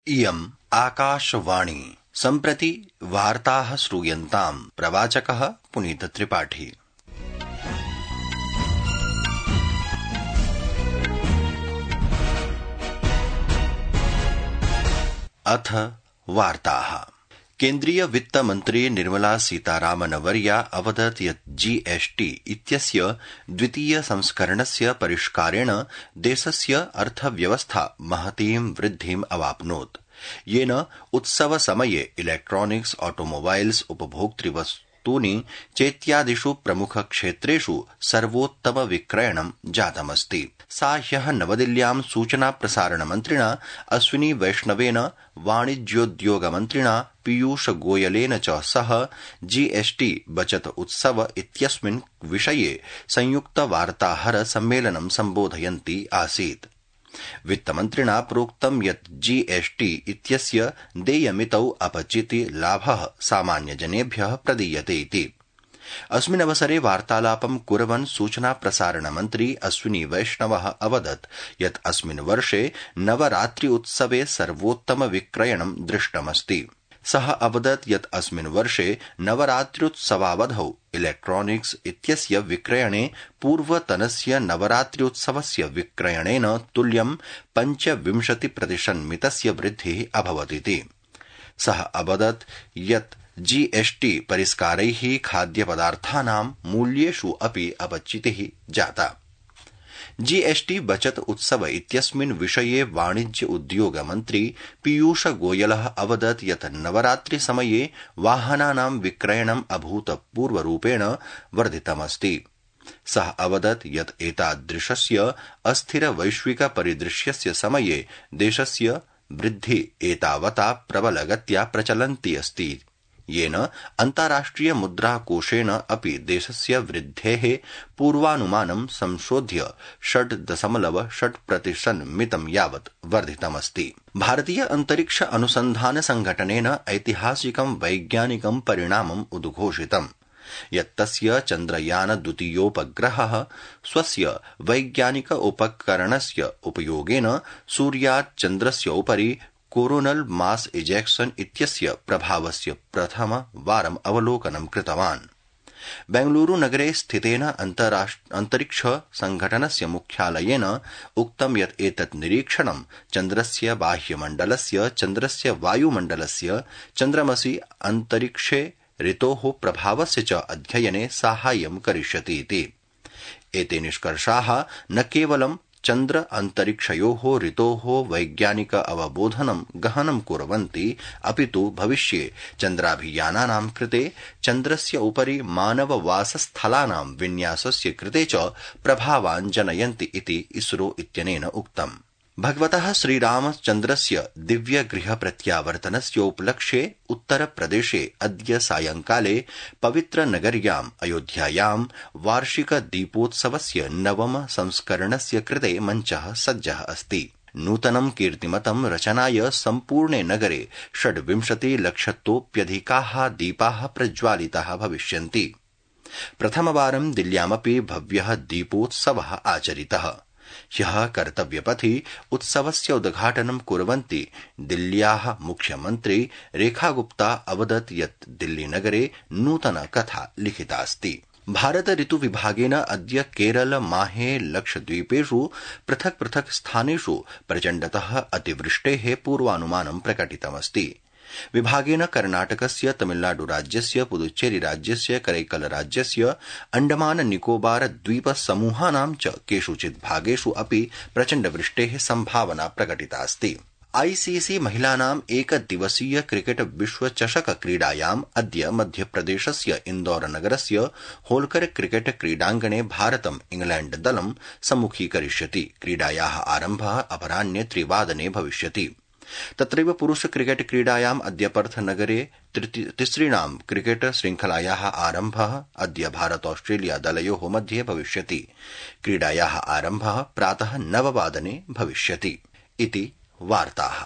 इयम् आकाशवाणी। सम्प्रति वार्ताः श्रूयन्ताम्। प्रवाचकः पुनीतत्रिपाठी। अथ वार्ताः। केन्द्रीय वित्त मंत्री निर्मला सीतारामनवर्या अवदत् यत् जीएसटी इत्यस्य द्वितीय संस्करणस्य परिष्कारेण देशस्य अर्थव्यवस्था महतीं वृद्धिम् अवाप्नोत्, येन उत्सवसमये इलेक्ट्रॉनिक्स, ऑटोमोबाइल्स, उपभोक्तृवस्तूनि चेत्यादिषु प्रमुखक्षेत्रेषु सर्वोत्तमविक्रयणं जातमस्ति। सा ह्यः नवदिल्ल्यां सूचना प्रसारण मन्त्रिणा अश्विनी वैष्णवेन, वाणिज्योद्योगमन्त्रिणा पीयूष गोयलेन च सह जीएसटी बचत उत्सव इत्यस्मिन् विषये संयुक्त वार्ताहर सम्मेलनं सम्बोधयन्ती आसीत्। वित्तमन्त्रिणा प्रोक्तं यत् जीएसटी इत्यस्य देयमितौ अपचिति लाभः सामान्यजनेभ्यः प्रदीयते इति। अस्मिन्नवसरे वार्तालापं कुर्वन् सूचना प्रसारण मन्त्री अश्विनी वैष्णवः अवदत् यत् अस्मिन् वर्षे नवरात्रि उत्सवे सर्वोत्तम विक्रयणं दृष्टमस्ति। सः अवदत् यत् अस्मिन् वर्षे नवरात्र्युत्सवावधौ इलेक्ट्रॉनिक्स इत्यस्य विक्रयणे पूर्वतनस्य नवरात्र्युत्सवस्य विक्रयणेन तुल्यं 25% वृद्धिः अभवदिति। सः अवदत् यत् जीएसटी परिष्कारैः खाद्यपदार्थानां मूल्येषु अपि अपचितिः जाता। जीएसटी बचत उत्सव इत्यस्मिन् विषये वाणिज्य उद्योग मन्त्री पीयूष गोयलः अवदत् यत् नवरात्रि समये वाहनानां विक्रयणम् अभूतपूर्वरूपेण वर्धितमस्ति। सः अवदत् यत् एतादृशस्य अस्थिर वैश्विक परिदृश्यस्य समये देशस्य वृद्धि एतावता प्रबलगत्या प्रचलन्ती अस्ति, येन अन्ताराष्ट्रिय मुद्राकोषेण अपि देशस्य वृद्धेः पूर्वानुमानं संशोध्य 6.6% मितं यावत् वर्धितमस्ति। भारतीय अंतरिक्ष अनुसंधान संघटनेन ऐतिहासिकं वैज्ञानिकं परिणामम् उद्घोषितम् यत् तस्य चन्द्रयान द्वितीयोपग्रहः स्वस्य वैज्ञानिक उपकरणस्य उपयोगेन सूर्यात् चन्द्रस्य उपरि कोरोनल मास इजेक्शन इत्यस्य प्रभावस्य प्रथमवारम् अवलोकनं कृतवान्। बेंगलुरु नगरे स्थितेन अंतरिक्ष संघटनस्य मुख्यालयेन उक्तं यत् एतत् निरीक्षणं चन्द्रस्य बाह्यमण्डलस्य, चन्द्रस्य वायुमण्डलस्य, चन्द्रमसि अंतरिक्षे ऋतोः प्रभावस्य च अध्ययने साहाय्यं करिष्यति इति। एते निष्कर्षाः न केवलं चन्द्र अंतरिक्षयोः ऋतोः वैज्ञानिक अवबोधनं गहनं कुर्वन्ति, अपितु भविष्ये चन्द्राभियानानां कृते चन्द्रस्य उपरि मानववासस्थलानां विन्यासस्य कृते च प्रभावान् जनयन्ति इति इसरो इत्यनेन उक्तम्। भगवतः श्रीरामचन्द्रस्य दिव्यगृह प्रत्यावर्तनस्य उपलक्ष्ये उत्तरप्रदेशे अद्य सायंकाले पवित्रनगर्याम् अयोध्यायां वार्षिक दीपोत्सवस्य नवम संस्करणस्य कृते मञ्चः सज्जः अस्ति। नूतनं कीर्तिमतं रचनाय सम्पूर्णे नगरे 26 लक्षतोऽप्यधिकाः दीपाः प्रज्वालिताः भविष्यन्ति। प्रथमवारं दिल्ल्यामपि भव्यः दीपोत्सवः आचरितः। ह्यः कर्तव्यपथि उत्सवस्य उद्घाटनं कुर्वन्ती दिल्ल्याः मुख्यमन्त्री रेखा गुप्ता अवदत् यत् दिल्लीनगरे नूतना कथा लिखितास्ति। भारत ऋतु विभागेन अद्य केरल, माहे, लक्षद्वीपेषु पृथक् पृथक् स्थानेषु प्रचण्डतः अतिवृष्टेः पूर्वानुमानं प्रकटितमस्ति। विभागेन कर्णाटकस्य, तमिलनाडु राज्यस्य, पुदुच्चेरी राज्यस्य, करैकल राज्यस्य, अंडमान निकोबार द्वीप समूहानां च केषुचित् भागेषु अपि प्रचण्डवृष्टेः संभावना प्रकटितास्ति। आईसीसी महिलानाम् एकदिवसीय क्रिकेट विश्वचषक क्रीडायाम् अद्य मध्यप्रदेशस्य इन्दौर नगरस्य होल्कर क्रिकेट क्रीडाङ्गणे भारतम् इंग्लैण्ड दलं सम्मुखीकरिष्यति। क्रीडायाः आरम्भः अपराह्ने 3 वादने भविष्यति। तत्रैव पुरुष क्रिकेट क्रीडायाम् अद्य पर्थ नगरे तिसृणां क्रिकेट श्रृंखलायाः आरम्भः अद्य भारत ऑस्ट्रेलिया दलयोः मध्ये भविष्यति। क्रीडायाः आरम्भः प्रातः 9 वादने भविष्यति इति वार्ताः।